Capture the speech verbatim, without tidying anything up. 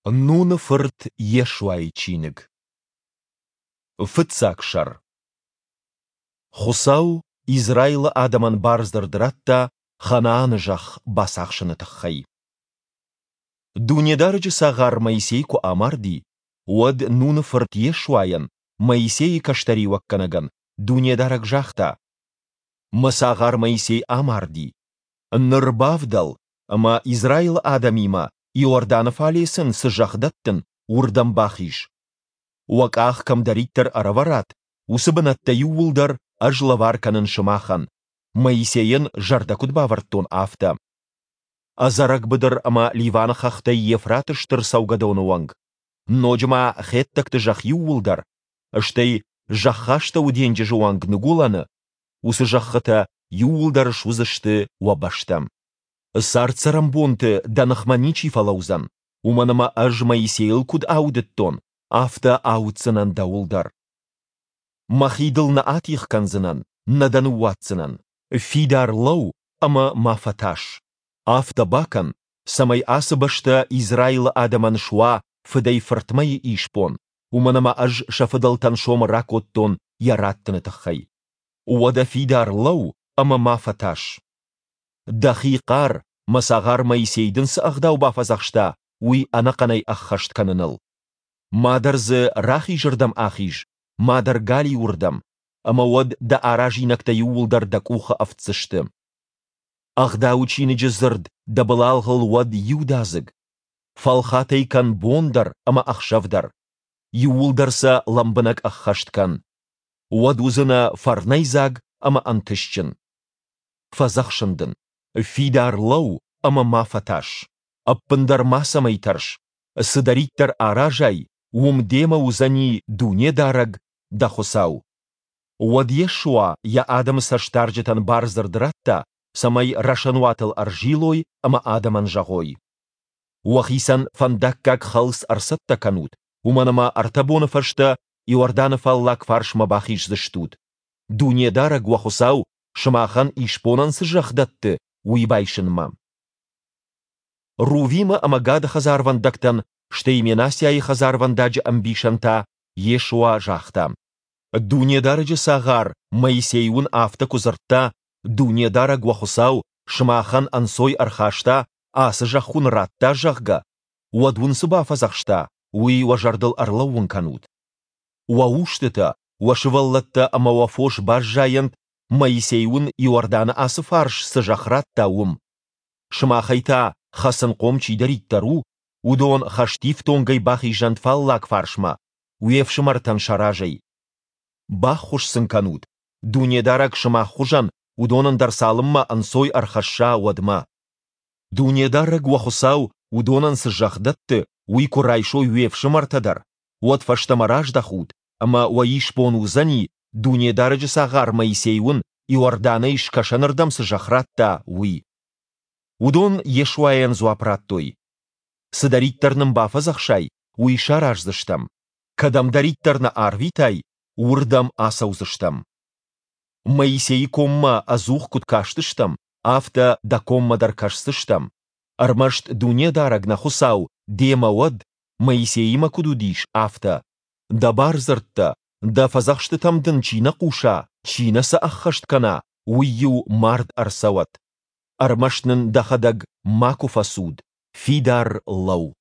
Нуны фырт Йешуайы чиныг. Фыццаг сӕр. Хуыцау Израилы адӕмӕн бардзырд радта Ханааны зӕхх бацахсыны тыххӕй. Дунедарӕджы цагъар Моисей куы амарди, уӕд Нуны фырт Йешуайӕн, Моисейы кӕстӕриуӕггӕнӕгӕн, Дунедарӕг загъта: Мӕ цагъар Моисей амарди. Ныр бавдӕл, ӕмӕ Израилы адӕмимӕ, Иорданы фале сын цы зӕхх дӕттын, уырдӕм бахиз. Уӕ къах кӕмдӕриддӕр ӕрӕвӕрат, уыцы бынӕттӕ иууылдӕр ӕз лӕвар кӕнын сымахӕн, Моисейӕн зӕрдӕ куыд бавӕрдтон, афтӕ. Ӕдзӕрӕг быдыр ӕмӕ Ливаны хӕхтӕй Евфраты стыр цӕугӕдоны онг, ноджы ма хеттӕгты зӕхх иууылдӕр, стӕй Зӕххастӕуы денджызы онг ныгуылӕны, уыцы зӕххытӕ иууылдӕр суыдзысты уӕ бӕстӕ. Цард-цӕрӕнбонты дӕ ныхмӕ ничи фӕлӕудзӕн, уымӕн ӕмӕ ӕз Моисейыл куыд аудыдтон, афтӕ ауддзынӕн дӕуыл дӕр. Мӕхи дыл нӕ атигъ кӕндзынӕн, нӕ дӕ ныууадздзынӕн. Фидар лӕуу ӕмӕ ма фӕтӕрс. Афтӕ бакӕн, цӕмӕй ацы бӕстӕ Израилы адӕмӕн суа фыдӕй-фыртмӕйы исбон, уымӕн ӕмӕ ӕз сӕ фыдӕлтӕн сомы ракодтон йӕ раттыны тыххӕй. Уӕдӕ фидар лӕуу ӕмӕ ма фӕтӕрс. Дӕхи хъар, мӕ цагъар Моисей дын цы ӕгъдау бафӕдзӕхста, уый ӕнӕхъӕнӕй ӕххӕст кӕныныл. Мадӕр дзы рахизырдӕм ахиз, мадӕр галиуырдӕм, ӕмӕ уӕд дӕ аразинӕгтӕ иууылдӕр дӕ къухы ӕфтдзысты. Ӕгъдауы чиныджы дзырд дӕ былалгъыл уӕд иудадзыг. Фӕлхат ӕй кӕн бон дӕр ӕмӕ ӕхсӕв дӕр. Иууылдӕр сӕ лӕмбынӕг ӕххӕст кӕн. Уӕд уыдзынӕ фӕрнӕйдзаг ӕмӕ ӕнтыстджын. Фӕдзӕхсын дын, фидар лӕуу ӕмӕ ма фӕтас. Ӕппындӕр мацӕмӕй тӕрс, цыдӕриддӕр аразай, уым демӕ уыдзӕни Дунедарӕг, дӕ Хуыцау. Уӕд Йешуа йӕ адӕмы цӕстдарджытӕн бардзырд радта, цӕмӕй рӕсӕнуатыл ӕрзилой ӕмӕ адӕмӕн зӕгъой: Уӕхицӕн фӕндаггаг хӕлц ӕрцӕттӕ кӕнут, уымӕн ӕмӕ ӕртӕ боны фӕстӕ Иорданы фаллаг фарсмӕ бахиздзыстут, Дунедарӕг уӕ Хуыцау сымахӕн исбонӕн цы зӕхх дӕтты, уый байсынмӕ. Рувимы ӕмӕ Гады хӕдзарвӕндӕгтӕн, стӕй Менассиайы хӕдзарвӕндаджы ӕмбисӕн та Йешуа загъта: Дунедарӕджы цагъар Моисей уын афтӕ куы дзырдта, Дунедарӕг уӕ Хуыцау сымахӕн ӕнцой ӕрхаста, ацы зӕхх уын радта, зӕгъгӕ, уӕд уын цы бафӕдзӕхста, уый уӕ зӕрдыл ӕрлӕууын кӕнут. Уӕ устытӕ, уӕ сывӕллӕттӕ ӕмӕ уӕ фос баззайӕнт, Моисей уын Иорданы ацы фарс цы зӕхх радта, уым. Сымахӕй та, хӕцынхъом чидӕриддӕр у, уыдон хӕстифтонгӕй бахизӕнт фаллаг фарсмӕ, уе фсымӕртӕн сӕ разӕй. Баххуыс сын кӕнут, Дунедарӕг сымах хуызӕн уыдонӕн дӕр цалынмӕ ӕнцой ӕрхӕсса, уӕдмӕ. Дунедарӕг уӕ Хуыцау уыдонӕн цы зӕхх дӕтты, уый куы райсой уе фсымӕртӕ дӕр, уӕд фӕстӕмӕ раздӕхут, ӕмӕ уӕ исбон уыдзӕни, Дунедарӕджы цагъар Моисей уын Иорданӕй скӕсӕнырдӕм цы зӕхх радта, уый. Уыдон Йешуайӕн дзуапп радтой: Цыдӕриддӕр нын бафӕдзӕхсай, уый сараздзыстӕм. Кӕдӕмдӕриддӕр нӕ арвитай, уырдӕм ацӕудзыстӕм. Моисейы коммӕ ӕдзух куыд кастыстӕм, афтӕ дӕ коммӕ дӕр кӕсдзыстӕм. Ӕрмӕст Дунедарӕг, нӕ Хуыцау, демӕ уӕд, Моисеимӕ куыд уыдис, афтӕ. Дӕ бардзырдтӕ, дӕ фӕдзӕхстытӕм дын чи нӕ хъуса, чи нӕ сӕ ӕххӕст кӕна, уый-иу мард ӕрцӕуӕд. Ӕрмӕст нын дӕхӕдӕг макуы фӕцуд, фидар лӕуу.